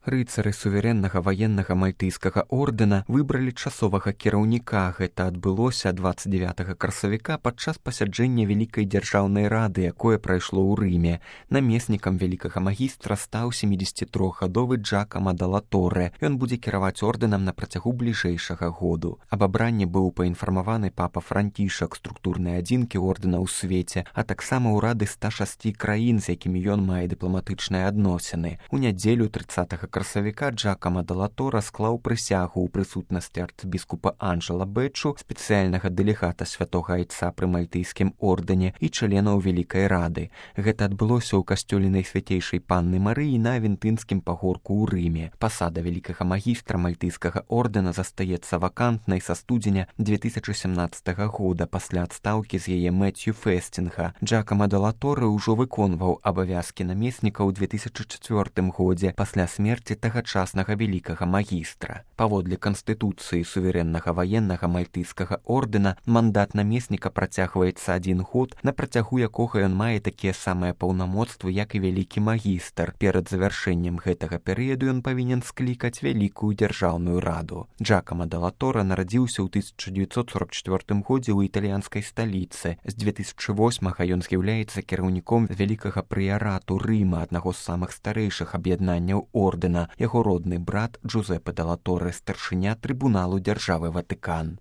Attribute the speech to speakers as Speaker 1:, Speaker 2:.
Speaker 1: Рыцары суверэннага ваеннага мальтыйскага ордэна выбралі часовага кіраўніка. Гэта адбылося 29 красавіка падчас пасяджэння Вялікай дзяржаўнай рады, якое прайшло ў Рыме. Намеснікам вялікага магістра стаў 73гадовы Джакама дала Торре. Ён будзе кіраваць ордэнам на працягу бліжэйшага году. Аб абранні быў паінфармаваны папа Францішак, структурнай адзінкі ордэна ў свеце, а таксама ўрады 106 краін, з якімі ён мае дыпламатычныя адносіны. У нядзелю 30 красавіка Джакама дала Торре склаў прысягу ў прысутнасці арцбіскупа Анджела Бэчу, спецыяльнага дэлегата святога айца пры мальтыйскім ордэне і членаў Вялікай рады. Гэта адбылося ў касцёле Найсвяцейшай Панны Марыі на Авентынскім пагорку ў Рыме. Пасада вялікага магістра мальтыйскага ордэна застаецца вакантнай са студзеня 2017 года пасля адстаўкі з яе Мэцью Фэстінга. Джакама дала Торре ўжо выконваў абавязкі намесніка ў 2004 годзе пасля смерці тагачаснага вялікага магістра. Паводле канстытуцыі суверэннага ваеннага мальтыйскага ордэна мандат намесніка працягваецца 1 год, на працягу якога ён мае такія самыя паўнамоцтвы, як і вялікі магістр. Перад завяршэннем гэтага перыяду ён павінен склікаць вялікую дзяржаўную раду. Джакама дала Торре нарадзіўся ў 1944 годзе ў італьянскай сталіцы. З 2008 ён з'яўляецца кіраўніком вялікага прыярату Рыма, аднаго з самых старэйшых аб'яднанняў ордэна. Яго родны брат Джузепе дала Торре старшыня трыбуналу дзяржавы Ватыкан.